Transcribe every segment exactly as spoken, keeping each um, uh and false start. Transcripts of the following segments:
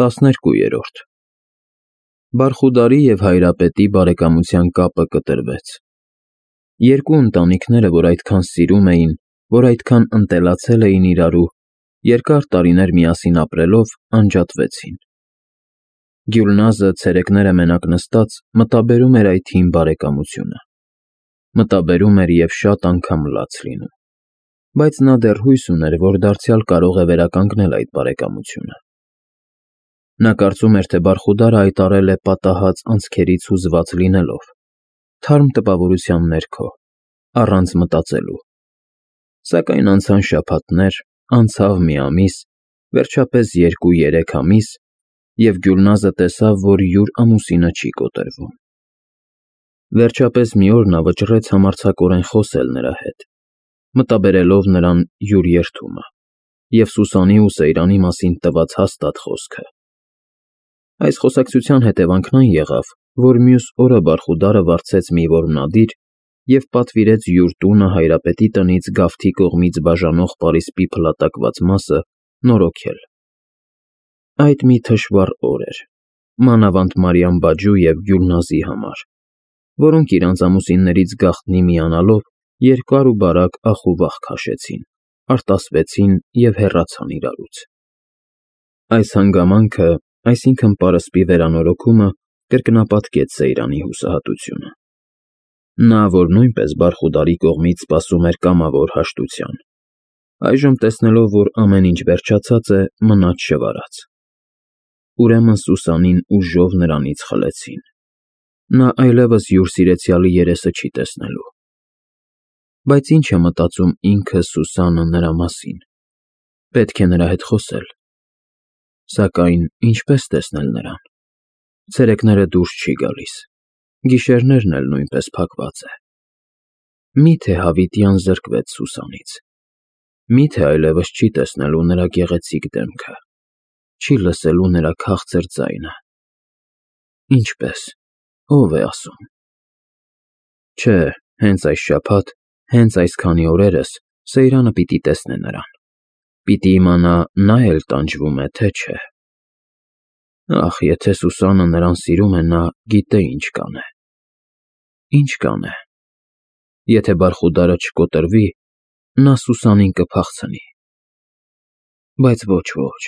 տասներկուերորդ Բարխուդարի և Հայրապետի բարեկամության կապը կտրվեց։ Երկու ընտանիքները, որ այդքան սիրում էին, որ այդքան ընտելացել էին իրարու, երկար տարիներ միասին ապրելով, անջատվեցին։ Գյուլնազը ցերեկները մենակ նստած մտաբերում էր այդ հին բարեկամությունը։ Մտաբերում էր և շատ անգամ լաց լինում, բայց նա դեռ հույս ուներ, որ դարձյալ կարող է վերականգնել այդ բարեկամությունը։ Նա կարծում էր, թե Բարխուդարը հայտարարել է պատահած անցքերից հուզված լինելով, թարմ տպավորության ներքո, առանց մտածելու։ Սակայն անցան շաբաթներ, անցավ մի ամիս, վերջապես երկու֊երեք ամիս, և Գյուլնազը տեսավ, որ յուր ամուսինը չի կոտրվում։ Վերջապես մի օր նա վճռեց համարձակորեն խոսել նրա հետ, մտաբերելով նրան յուր երդումը և Սուսանի ու Սեյրանի մասին տված հաստատ խոսքը։ Այս խոսակցության հետևանքն այն եղավ, որ մյուս օրը Բարխուդարը վարձեց մի որմնադիր և պատվիրեց յուր տունը Հայրապետի տնից գավթի կողմից բաժանող պարիսպի փլատակված մասը նորոգել։ Այդ մի թշվառ օր էր, մանավանդ Մարիամ֊բաջու և Գյուլնազի համար, որոնք իրանց ամուսիններից գաղտնի միանալով երկար ու բարակ ախ ու վախ քաշեցին, արտասվեցին և հեռացան իրարուց։ Այս հանգամանքը, այսինքն պարսպի վերանորոգումը, կրկնապատկեց Սեյրանի հուսահատությունը։ Նա, որ նույնպես Բարխուդարի կողմից սպասում էր կամավոր հաշտության, այժմ տեսնելով, որ ամեն ինչ վերջացած է, մնաց շվարած։ Ուրեմն Սուսանին ուժով նրանից խլեցին։ Նա այլևս յուր սիրեցյալի երեսը չի տեսնելու։ Բայց ի՞նչ է մտածում ինքը Սուսանը նրա մասին։ Պետք է նրա հետ խոսել։ Սակայն ինչպե՞ս տեսնել նրան։ Ցերեկները դուրս չի գալիս, գիշերներն էլ նույնպես փակված է։ Մի՞թե հավիտյան զրկվեց Սուսանից։ Մի՞թե այլևս չի տեսնելու նրա գեղեցիկ դեմքը, չի լսելու նրա քաղցր ձայնը։ Ինչպե՞ս, ո՞վ է ասում։ Չէ, հենց այս շաբաթ, հենց այսքանի օրերս Սեյրանը պիտի տեսնե նրան, պիտի իմանա նա էլ տանջվում է, թե չէ։ Ախ, եթե Սուսանը նրան սիրում է, նա գիտե ինչ կանե։ Ինչ կանե։ Եթե Բարխուդարը չկոտրվի, նա Սուսանին կփախցնի։ Բայց ոչ, ոչ,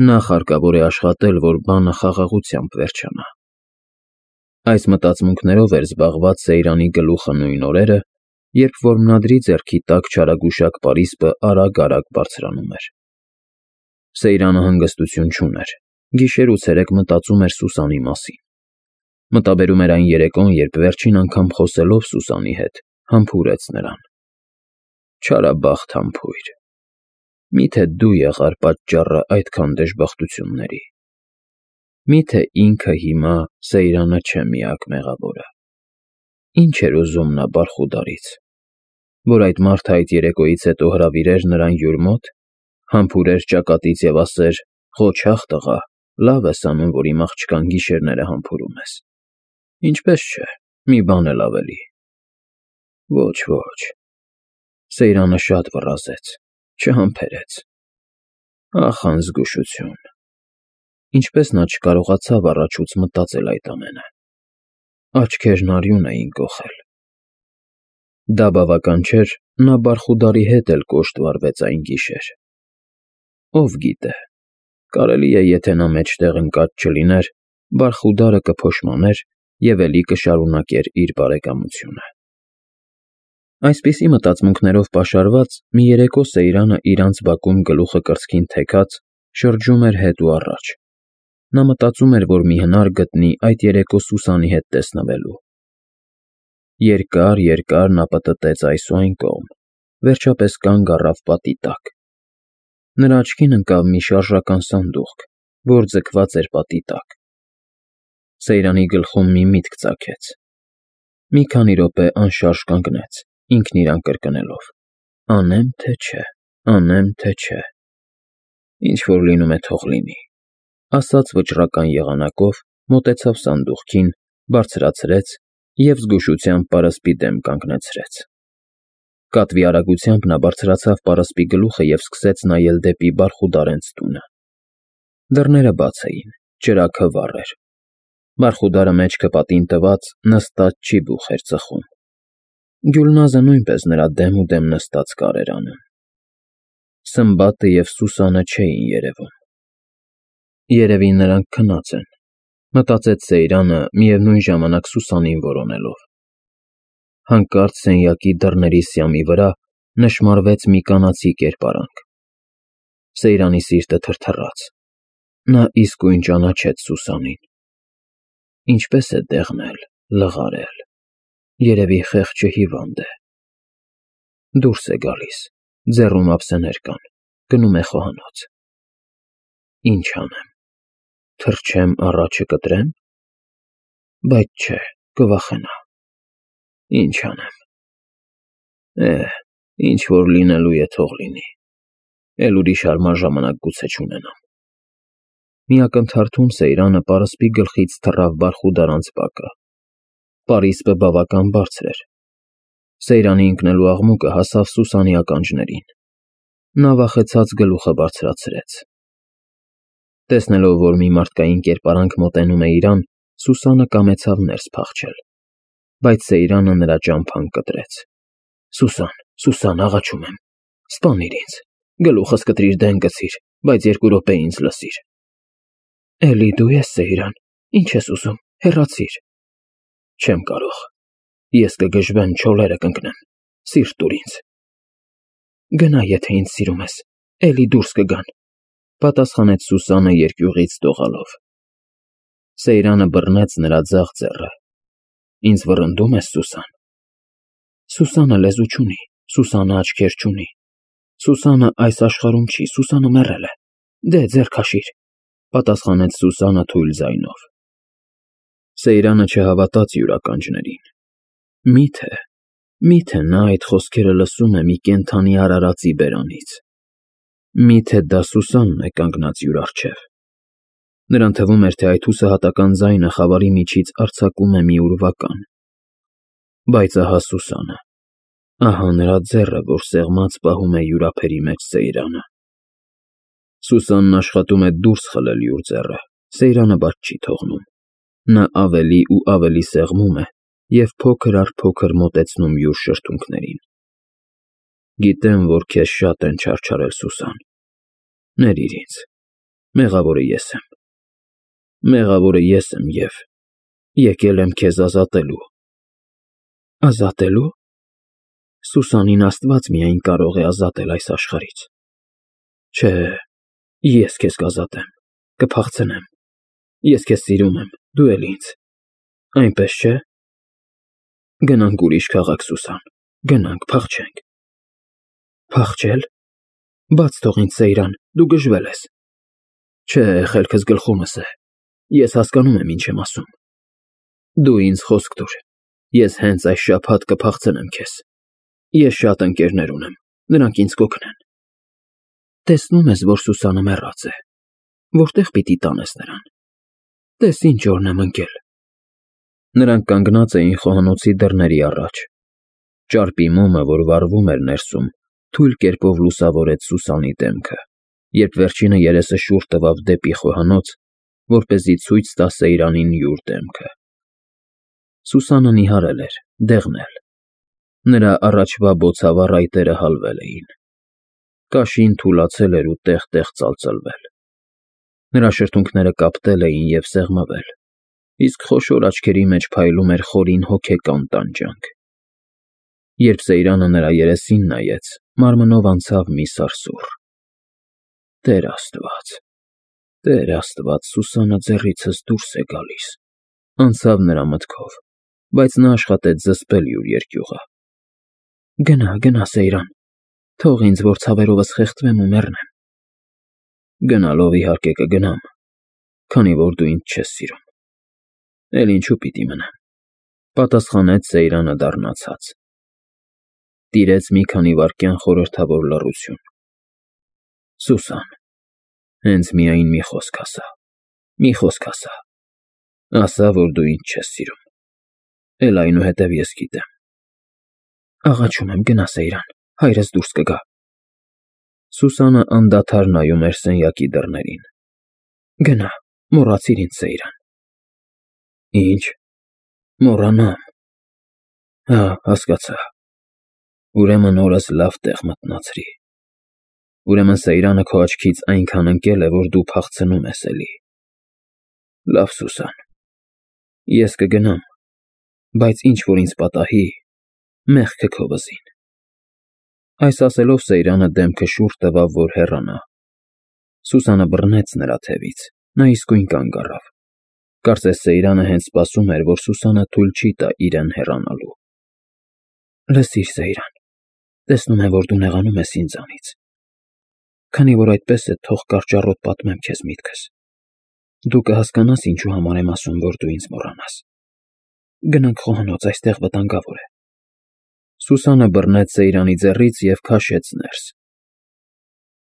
նախ հարկավոր է աշխատել, որ բանը խաղաղությամբ վերջանա։ Այս մտածմունքներով էր զբաղված Սեյրանի գլուխը նույն օրերը, երբ որմնադրի ձեռքի տակ չարագուշակ պարիսպը արագ֊արագ բարձրանում էր։ Սեյրանը հանգստություն չուներ, գիշեր ու ցերեկ մտածում էր Սուսանի մասին։ Մտաբերում էր այն երեկոն, երբ վերջին անգամ խոսելով Սուսանի հետ, համբուրեց նրան։ Չարաբախտ համբույր։ Մի՞թե դու եղար պատճառը այդքան դժբախտությունների։ Մի՞թե ինքը հիմա Սեյրանը չէ միակ մեղավորը։ Ինչ էր ուզում նա Բարխուդարից։ Որ այդ մարդը այդ երեկոյից հետո հրավիրեր նրան յուր մոտ, համբուրեր ճակատից և ասեր. «Ղոչաղ տղա, լավ ես անում, որ իմ աղջկան գիշերները համբուրում ես։ Ինչպես չէ, մի բան էլ ավելի»։ Ոչ, ոչ։ Սեյրանը շատ վռազեց, չհամբերեց։ Ախ, անզգուշություն։ Ինչպես նա չկարողացավ առաջուց մտածել այդ ամենը։ Աչքերն արյուն էին կոխել։ Դա բավական չէր, նա Բարխուդարի հետ էլ կոշտ վարվեց այն գիշեր։ Ով գիտե, կարելի է, եթե նա մեջտեղ ընկած չլիներ, Բարխուդարը կփոշմաներ և էլի կշարունակեր իր բարեկամությունը։ Այսպիսի մտածմունքներով պաշարված, մի երեկո Սեյրանը իրանց բակում գլուխը կրծքին թեքած, շրջում էր հետ ու առաջ։ Նա մտածում էր, որ մի հնար գտնի այդ երեկո Սուսանի հետ տեսնվելու։ Երկար֊երկար նա պտտեց այս ու այն կողմ, վերջապես կանգ առավ պատի տակ։ Նրա աչքին ընկավ մի շարժական սանդուղք, որ ձգված էր պատի տակ։ Սեյրանի գլխում մի միտք ծագեց։ Մի քանի րոպե անշարժ կանգնեց, ինքն իրան կրկնելով. «Անեմ, թե չէ, անեմ, թե չէ։ Ինչ որ լինում է, թող լինի», ասաց վճռական եղանակով, մոտեցավ սանդուղքին, բարձրացրեց և զգուշությամբ պարսպի դեմ կանգնեցրեց։ Կատվի արագությամբ նա բարձրացավ պարսպի գլուխը և սկսեց նայել դեպի Բարխուդարենց տունը։ Դռները բաց էին, ճրագը վառ էր։ Վարխուդարը մեջքը պատին տված նստած չի բուխ էր ծխում։ Գյուլնազը նույնպես նրա դեմ ու դեմ նստած կարեր անում։ Սմբատը և Սուսանը չէին երևում։ Երևի նրանք քնած են, մտածեց Սեյրանը, միևնույն ժամանակ Սուսանին որոնելով։ Հանկարծ սենյակի դռների սյամի վրա նշմարվեց մի կանացի կերպարանք։ Սեյրանի սիրտը թրթռաց։ Նա իսկույն ճանաչեց Սուսանին։ Ինչպես է դեղնել, լղարել, երևի խեղճը հիվանդ է։ Դուրս է գալիս, ձեռում ափսեներ կան, գնում է խոհանոց։ Ինչ անեմ, թռչեմ առաջը կտրեմ, բայց չէ, կվախենա։ Ինչ անեմ, էհ, ինչ որ լինելու է թող լինի, էլ ուրիշ հարմար ժամանակ գուցե չունենամ։ Մի ակնթարթում Սեյրանը պարսպի գլխից թռավ բարխուդար անցպակը։ Պարիսպը բավական բարձր էր։ Սեյրանի ընկնելու աղմուկը հասավ Սուսանի ականջներին։ Նա վախեցած գլուխը բարձրացրեց։ Տեսնելով, որ մի մարդկային կերպարանք մոտենում է իրան, Սուսանը կամեցավ ներս փախչել, բայց Սեյրանը նրա ճամփան կտրեց։ Սուսան, Սուսան, աղաչում եմ, սպանիր ինձ, գլուխս կտրիր դեն գցիր, բայց երկու րոպե ինձ լսիր։ Էլի դու ես, Սեյրան, ինչ ես ուզում, հեռացիր։ Չեմ կարող, ես կգժվեմ, չոլերը կընկնեմ, սիրտ տուր ինձ։ Գնա, եթե ինձ սիրում ես, էլի դուրս կգան, պատասխանեց Սուսանը երկյուղից դողալով։ Սեյրանը բռնեց նրա ձախ ձեռը։ Ինձ վռնդում ես, Սուսան։ Սուսանը լեզու չունի, Սուսանը աչքեր չունի։ Սուսանը այս աշխարհում չի, Սուսանը մեռել է։ Դե ձեռ քաշիր, պատասխանեց Սուսանը թույլ ձայնով։ Սեյրանը չհավատաց իր ականջներին։ Միթե, միթե նա այդ խոսքերը լսում է մի կենդանի արարածի բերանից։ Միթե դա Սուսանն է կանգնած յուր առջև։ Նրան թվում էր, թե այդ հուսահատական ձայնը խավարի միջից արձակում է մի ուրվական։ Բայց ահա Սուսանը, ահա նրա ձեռը, որ սեղմած պահում է յուր ափերի մեջ Սեյրանը։ Սուսանն աշխատում է դուրս խլել յուր ձեռը, Սեյրանը բաց չի թողնում։ Նա ավելի ու ավելի սեղմում է և փոքր առ փոքր մոտեցնում յուր շրթունքներին։ Գիտեմ, որ քեզ շատ են չարչարել, Սուսան։ Ներիր ինձ, մեղավորը ես եմ։ Մեղավորը ես եմ և եկել եմ քեզ ազատելու։ Ազատելու։ Սուսանին Աստված միայն կարող է ազատել այս աշխարհից։ Չէ, ես քեզ կազատեմ, կփախցնեմ։ Ես քեզ սիրում եմ, դու էլ ինձ։ Այնպես չէ։ Գնանք ուրիշ քաղաք, Սուսան, գնանք, փախչենք։ Փախչել։ Բաց թող ինձ, Սեյրան, դու գժվել ես։ Չէ, խելքս գլխումս է։ Ես հասկանում եմ, ինչ եմ ասում։ Դու ինձ խոսք տուր։ Ես հենց այս շաբաթ կփախցնեմ քեզ։ Ես շատ ընկերներ ունեմ, նրանք ինձ կօգնեն։ Տեսնում ես, որ Սուսանը մեռած է։ Որտե՞ղ պիտի տանես նրան։ Տես ինչ օրն եմ ընկել։ Նրանք կանգնած էին խոհանոցի դռների առաջ։ Ճարպի մոմը, որ վառվում էր ներսում, թույլ կերպով լուսավորեց Սուսանի դեմքը, երբ վերջինը երեսը շուռ տվավ դեպի խոհանոց, որպեսզի ցույց տա Սեյրանին յուր դեմքը։ Սուսանը նիհարել էր, դեղնել։ Նրա առաջվա բոցավառ այտերը հալվել էին։ Կաշին թուլացել էր ու տեղ֊տեղ ծալծլվել։ Նրա շրթունքները կապտել էին և սեղմվել, իսկ խոշոր աչքերի մեջ փայլում էր խորին հոգեկան տանջանք։ Երբ Սեյրանը նրա երեսին նայեց, մարմնով անցավ մի սարսուռ։ Տեր Աստված, Տեր Աստված, Սուսանը ձեռիցս դուրս է գալիս, անցավ նրա մտքով, բայց նա աշխատեց զսպել յուր երկյուղը։ Գնա, գնա, Սեյրան, թող ինձ, որ ցավերովս խեղդվեմ ու մեռնեմ։ Գնալով իհարկե կգնամ, քանի որ դու ինձ չես սիրում։ Էլ ինչու պիտի մնամ, պատասխանեց Սեյրանը դառնացած։ Տիրեց մի քանի վայրկյան խորհրդավոր լռություն։ Սուսան, հենց միայն մի խոսք ասա, մի խոսք ասա։ Ասա, որ դու ինձ չես սիրում։ Էլ այնուհետև ես գիտեմ։ Աղաչում եմ, գնա, Սեյրան, հայրս դուրս կգա։ Սուսանը անդադար նայում էր սենյակի դռներին։ Գնա, մոռացիր ինձ, Սեյրան։ Ինչ, մոռանամ։ Հա, հասկացա։ Ուրեմն օրս լավ տեղ մտնացրի։ Ուրեմն Սեյրանը քո աչքից այնքան ընկել է, որ դու փախցնում ես էլի։ Լավ, Սուսան, ես կգնամ, բայց ինչ որ ինձ պատահի, մեղքը քո վզին։ Այս ասելով Սեյրանը դեմքը շուռ տվավ, որ հեռանա։ Սուսանը բռնեց նրա թևից, նա իսկույն կանգ առավ։ Կարծես Սեյրանը հենց սպասում էր, որ Սուսանը թույլ չի տա իրեն հեռանալու։ Լսիր, Սեյրան, տեսնում եմ, որ դու նեղանում ես ինձանից։ Քանի որ այդպես է, թող կարճառոտ պատմեմ քեզ միտքս։ Դու կհասկանաս ինչու համար եմ ասում, որ դու ինձ մոռանաս։ Գնանք խոհանոց, այստեղ վտանգավոր է։ Սուսանը բռնեց Սեյրանի ձեռից և քաշեց ներս։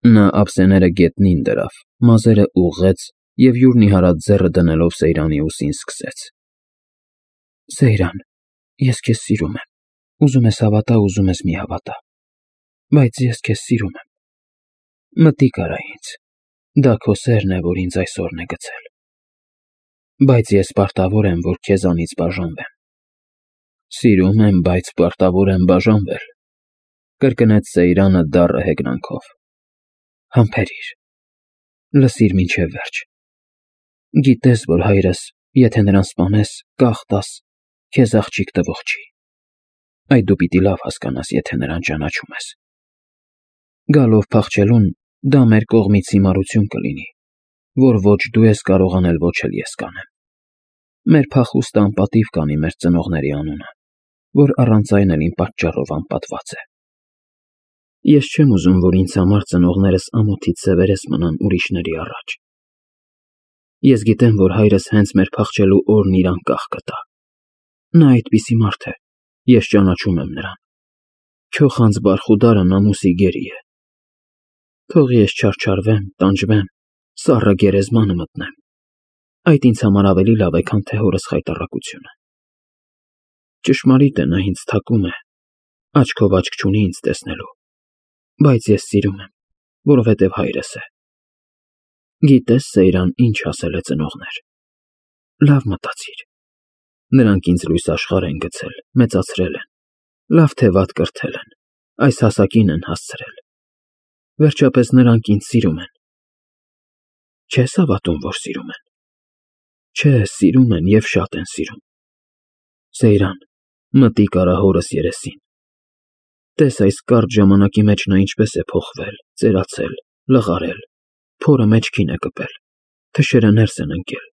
Նա ափսեները գետնին դրավ, մազերը ուղղեց և յուր նիհարած ձեռը դնելով Սեյրանի ուսին սկսեց. Սեյրան, ես քեզ սիրում եմ, ուզում ես հավատա, ուզում ես մի հավատա, բայց ես քեզ սիրում եմ։ Մտիկ արա ինձ, դա քո սերն է, որ ինձ այսօրն է գցել։ Բայց ես պարտավոր եմ, որ քեզանից բաժանվեմ։ Սիրում եմ, բայց պարտավոր եմ բաժանվել, կրկնեց Սեյրանը դառը հեգնանքով։ Համբերիր, լսիր մինչև վերջ։ Գիտես, որ հայրս, եթե նրան սպանես, կախտաս, քեզ աղջիկ տվող չի։ Այդ դու պիտի լավ հասկանաս, եթե նրան ճանաչում ես։ Գալով փախչելուն, դա մեր կողմից հիմարություն կլինի, որ ոչ դու ես կարող անել, ոչ էլ ես կանեմ։ Մեր փախուստը անպատիվ կանի մեր ծնողների անունը, որ առանց այն էլ իմ պատճառով անպատված է։ Ես չեմ ուզում, որ ինձ համար ծնողներս ամոթից սևերես մնան ուրիշների առաջ։ Ես գիտեմ, որ հայրս հենց մեր փախչելու օրն իր անկախ կտա։ Նա այդպիսի մարդ է, ես ճանաչում եմ նրան։ Քո խանձ բարխուդարը նամուսի գերի է։ Թող ես չարչարվեմ, տանջվեմ, սառը գերեզմանը մտնեմ։ Այդ ինձ համար ավելի լավ է, քան թե հորս խայտառակությունը։ Ճշմարիտ է, նա ինձ թակում է, աչքով աչք չունի ինձ տեսնելու, բայց ես սիրում եմ, որովհետև հայրս է։ Գիտես, Սեյրան, ինչ ասել է ծնողներ։ Լավ մտածիր։ Նրանք ինձ լույս աշխարհ են գցել, մեծացրել են, լավ թե վատ կրթել են, այս հասակին են հասցրել։ Վերջապես նրանք ինձ սիրում են։ Չես հավատում, որ սիրում են։ Չէ, սիրում են և շատ են սիրում։ Սեյրան, մտիկ արա հորս երեսին։ Տես այս կարճ ժամանակի մեջ նա ինչպես է փոխվել, ծերացել, լղարել, փորը մեջքին է կպել, թշերը ներս են ընկել,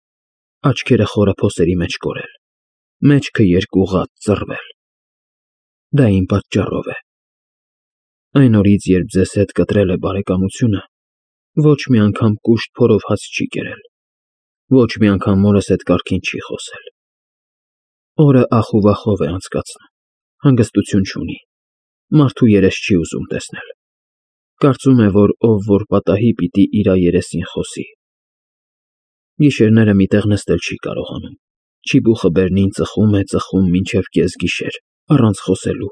աչքերը խորափոսերի մեջ կորել, մեջքը երկուղատ ծռվել։ Դա իմ պատճառով է։ Այն օրից, երբ ձեզ հետ կտրել է բարեկամությունը, ոչ մի անգամ կուշտ փորով հաց չի կերել, ոչ մի անգամ մորս հետ կարգին չի խոսել։ Օրը ախ ու վախով է անցկացնում, հանգստություն չունի, մարդու երես չի ուզում տեսնել։ Կարծում է, որ ով որ պատահի, պիտի իրա երեսին խոսի։ Գիշերները մի տեղ նստել չի կարողանում, չիբուխը բերնին ծխում է, ծխում մինչև կեսգիշեր, առանց խոսելու։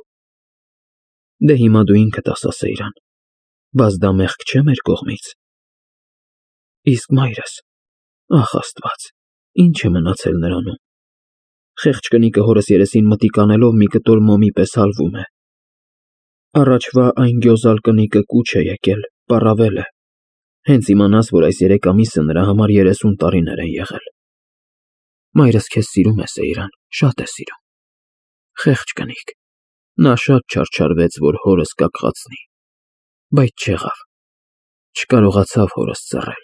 Դե հիմա դու ինքդ ասա, Սեյրան, բաց դա մեղք չէ մեր կողմից։ Իսկ մայրս, ախ Աստված, ինչ է մնացել նրանում։ Խեղճ կնիկը հորս երեսին մտիկ անելով մի կտոր մոմի պես հալվում է։ Առաջվա այն գյոզալ կնիկը կուչ է եկել, պառավել է։ Հենց իմանաս, որ այս երեք ամիսը նրա համար երեսուն տարիներ են եղել։ Մայրս քեզ սիրում է, Սեյրան, շատ է սիրում։ Խեղճ կնիկ։ Նա շատ չարչարվեց, որ հորս կակղացնի, բայց չեղավ, չկարողացավ հորս ծռել։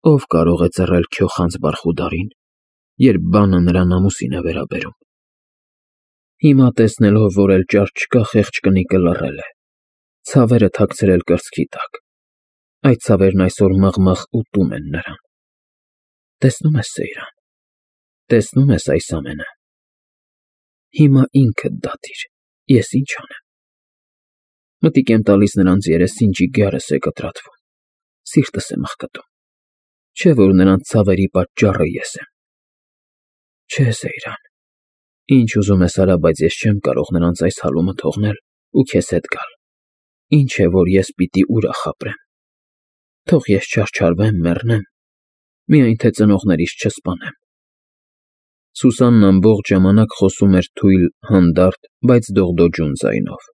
Ով կարող է ծռել քո խանձ բարխուդարին, երբ բանը նրա նամուսին է վերաբերում։ Հիմա տեսնելով, որ էլ ճար չկա, խեղճ կնիկը լռել է, ցավերը թաքցրել կրծքի տակ։ Այդ ցավերն այսօր մղ-մղ ուտում են նրան։ Տեսնում ես, Սեյրան, տեսնում ես այս ամենը։ Հիմա ինքդ դատիր, ես ինչ անեմ։ Մտիկ եմ տալիս նրանց երեսին, ջիգարս է կտրատվում, սիրտս է մխկտում, չէ որ նրանց ցավերի պատճառը ես եմ։ Չէ, Սեյրան, ինչ ուզում ես արա, բայց ես չեմ կարող նրանց այս հալումը թողնել ու քեզ հետ գալ։ Ինչ է, որ ես պիտի ուրախ ապրեմ։ Թող ես չարչարվեմ, մեռնեմ, միայն թե ծնողներիս չսպանեմ։ Սուսանն ամբողջ ժամանակ խոսում էր թույլ, հանդարտ, բայց դողդոջուն ձայնով։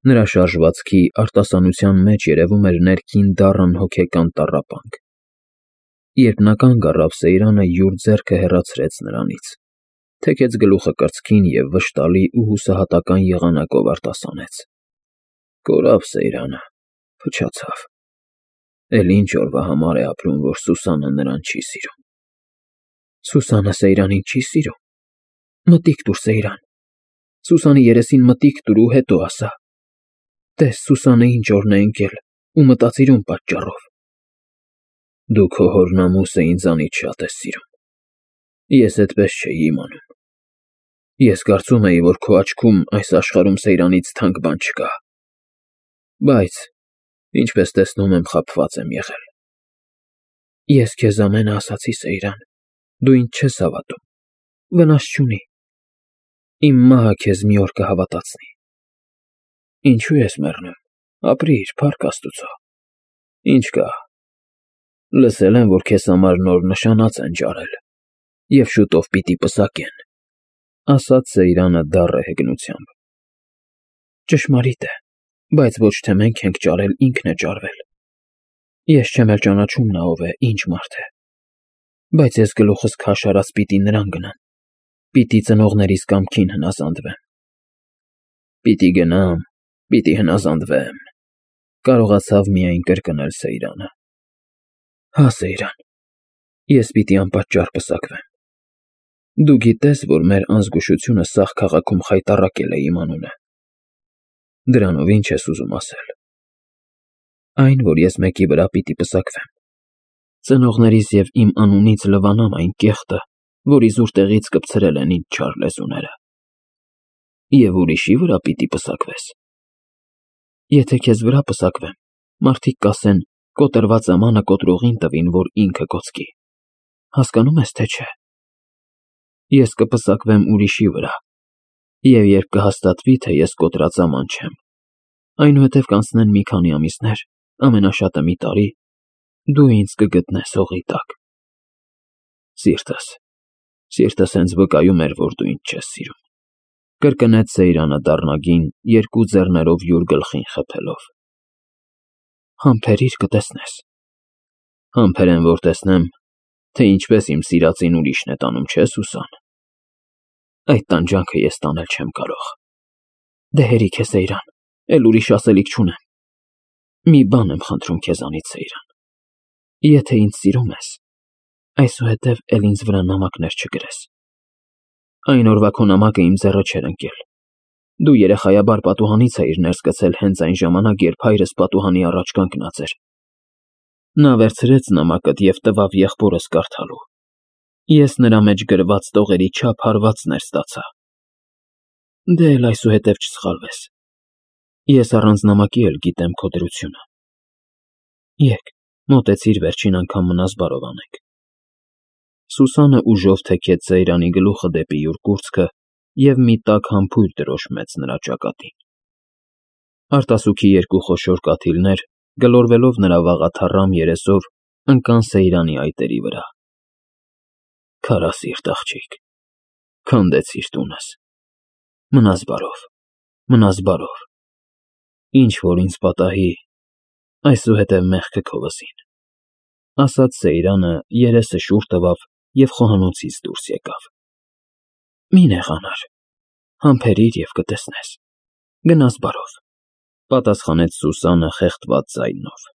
Նրա շարժվածքի, արտասանության մեջ երևում էր ներքին դառն հոգեկան տառապանք։ Երբ նա կանգ առավ, Սեյրանը յուր ձեռքը հեռացրեց նրանից, թեքեց գլուխը կրծքին և վշտալի ու հուսահատական եղանակով արտասանեց. «Կորավ Սեյրանը, փչացավ։ Էլ ինչ օրվա համար է ապրում, որ Սուսանը նրան չի սիրում»։ Սուսանը Սեյրանին չի սիրում։ Մտիկ տուր, Սեյրան, Սուսանի երեսին մտիկ տուր ու հետո ասա. «Տես, Սուսանը ինչ օրն է ընկել ու մտածիր ում պատճառով»։ Դու քո հորնամուսը ինձանից շատ ես սիրում։ Ես էդպես չէի իմանում։ Ես կարծում էի, որ քո աչքում այս աշխարհում Սեյրանից թանկ բան չկա։ Բայց, ինչպես տեսնում եմ, խաբված եմ եղել։ Ես քեզ ամենը ասացի, Սեյրան, դու ինձ չես հավատում։ Վնաս չունի։ Իմ մահը քեզ մի օր կհավատացնի։ Ինչու ես մեռնում, ապրիր, փառք Աստուծո։ Ինչ կա։ Լսել եմ, որ քեզ համար նոր նշանած են ջարել և շուտով պիտի պսակեն, ասաց Սեյրանը դառը հեգնությամբ։ Ճշմարիտ է, բայց ոչ թե մենք ենք ջարել, ինքն է ջարվել։ Ես չեմ էլ ճանաչում նա ով է, ինչ մարդ է։ Բայց ես գլուխս քաշ արած պիտի նրան գնամ, պիտի ծնողներիս կամքին հնազանդվեմ։ Պիտի գնամ, պիտի հնազանդվեմ, կարողացավ միայն կրկնել Սեյրանը։ Հա, Սեյրան, ես պիտի անպատճառ պսակվեմ։ Դու գիտես, որ մեր անզգուշությունը սաղ քաղաքում խայտառակել է իմ անունը։ Դրանով ինչ ես ուզում ասել։ Այն, որ ես մեկի վրա պիտի պսակվեմ։ Ծնողներիս և իմ անունից լվանամ այն կեղտը, որ իզուր տեղից կպցրել են ինձ չար լեզուները։ Եվ ուրիշի վրա պիտի պսակվես։ Եթե քեզ վրա պսակվեմ, մարդիկ կասեն. կոտրված ամանը կոտրողին տվին, որ ինքը կոծկի։ Հասկանում ես, թե չէ։ Ես կպսակվեմ ուրիշի վրա, և երբ կհաստատվի, թե ես կոտրած աման չեմ, այնուհետև կանցնեն մի քանի ամիսներ, ամենաշատը մի տարի, դու ինձ կգտնես հողի տակ։ Սիրտս, սիրտս հենց վկայում էր, որ դու ինձ չես սիրում, կրկնեց Սեյրանը դառնագին, երկու ձեռներով յուր գլխին խփելով։ Համբերիր, կտեսնես։ Համբերեմ, որ տեսնեմ, թե ինչպես իմ սիրածին ուրիշն է տանում, չէ, Սուսան։ Այդ տանջանքը ես տանել չեմ կարող։ Դե հերիք է, Սեյրան, էլ ուրիշ ասելիք չունեմ։ Մի բան եմ խնդրում քեզանից, Սեյրան։ Եթե ինձ սիրում ես, այսուհետև էլ ինձ վրա նամակներ չգրես։ Այն օրվա քո նամակը իմ ձեռը չէր ընկել։ Դու երեխայաբար պատուհանից էիր ներս գցել հենց այն ժամանակ, երբ հայրս պատուհանի առաջ կանգնած էր։ Նա վերցրեց նամակդ և տվավ եղբորս կարդալու։ Ես նրա մեջ գրված տողերի չափ հարվածներ ստացա։ Դե էլ այսուհետև չսխալվես։ Ես առանց նամակի էլ գիտեմ քո դրությունը։ Եկ, մոտեցիր վերջին անգամ մնաս բարով անենք։ Սուսանը ուժով թեքեց Սեյրանի գլուխը դեպի յուր կուրծքը և մի տաք համբույր դրոշմեց նրա ճակատին։ Արտասուքի երկու խոշոր կաթիլներ, գլորվելով նրա վաղաթառամ երեսով, ընկան Սեյրանի այտերի վրա։ Քարասիրտ աղջիկ, քանդեցիր տունս։ Մնաս բարով, մնաս բարով։ Ինչ որ ինձ պատահի, այսուհետև մեղքը քո վզին, ասաց Սեյրանը, երեսը շուռ տվավ և խոհանոցից դուրս եկավ։ Մի նեղանար, համբերիր և կտեսնես։ Գնաս բարով, պատասխանեց Սուսանը խեղդված ձայնով։